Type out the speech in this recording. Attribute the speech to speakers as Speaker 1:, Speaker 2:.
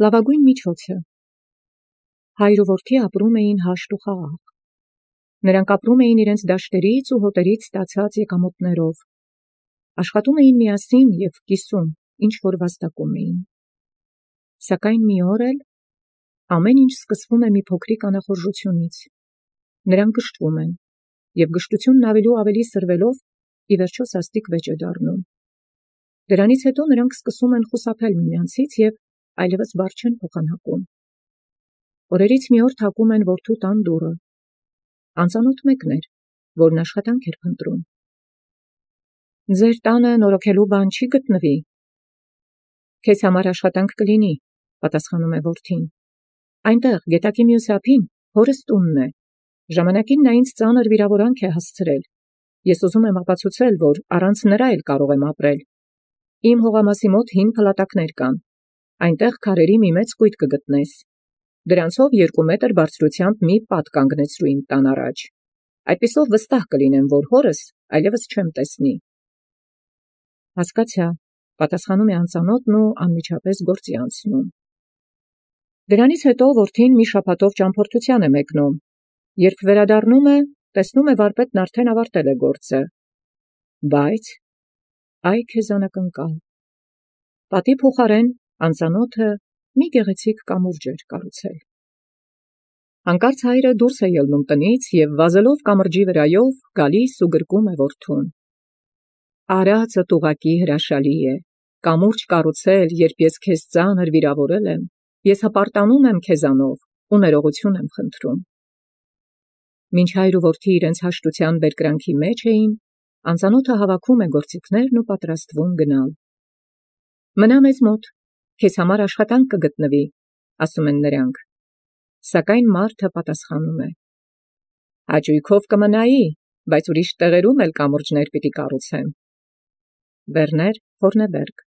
Speaker 1: Լավագույն միջոցը։ Հայր ու որդի ապրում էին հաշտ ու խաղաղ։ Նրանք ապրում էին իրենց դաշտերից ու հոտերից ստացած եկամուտներով, աշխատում էին միասին և կիսում, ինչ որ վաստակում էին։ Սակայն մի օր էլ ամեն ինչ սկսվում է մի փոքրիկ անախորժությունից։ Նրանք գժտվում են, և գժտությունն ավելի սրվելով, ի վերջո սաստիկ վեճ է դառնում։ Դրանից հետո նրանք սկսում են խուսափել միմյանցից և այլևս բառ չեն փոխանակում։ Օրերից մի օր թակում են որդու տան դուռը։ Անծանոթ մեկն էր, որն աշխատանք էր փնտրում։ «Ձեր տանը նորոգելու բան չի գտնվի»։ «Քեզ համար աշխատանք կլինի», պատասխանում է որդին։ «Այնտեղ, գետակի մյուս ափին, հորս տունն է։ Ժամանակին նա ինձ ծանր վիրավորանք է հասցրել։ Ես ուզում եմ ապացուցել, որ առանց նրա էլ կարող եմ ապրել։ Իմ հողամասի մոտ հին փլատակներ կան։ Այնտեղ քարերի մի մեծ կույտ կգտնես։ Դրանցով 2 մետր բարձրությամբ մի պատ կանգնեցրու իմ տան առաջ։ Այդպիսով վստահ կլինեմ, որ հորս այլևս չեմ տեսնի»։ «Հասկացա», պատասխանում է անծանոթն ու անմիջապես գործի անցնում։ Դրանից հետո որդին մի շաբաթով ճամփորդության է մեկնում։ Երբ վերադառնում է, տեսնում է վարպետն արդեն ավարտել է գործը։ Բայց այ քեզ անակնկալ։ Պատի փոխարեն անծանոթը մի գեղեցիկ կամուրջ էր կառուցել։ Հանկարծ հայրը դուրս է ելնում տնից և վազելով կամրջի վրայով գալիս ու գրկում է որդուն։ «Արածդ ուղղակի հրաշալի է։ Կամուրջ կառուցել, երբ ես քեզ ծանր վիրավորել եմ, ես հպարտանում եմ քեզանով ու ներողություն եմ խնդրում»։ Մինչ հայր ու որդի իրենց հաշտության բերկրանքի մեջ էին, անծանոթը հավաքում է գործիքներն ու պատրաստվում գնալ։ «Մնա մեզ մոտ, քեզ համար աշխատանք կգտնվի», ասում են նրանք։ Սակայն մարդը պատասխանում է. «Հաճույքով կմնայի, բայց ուրիշ տեղերում էլ կամուրջներ պիտի կառուցեմ»։ Վերներ Հորնեբերգ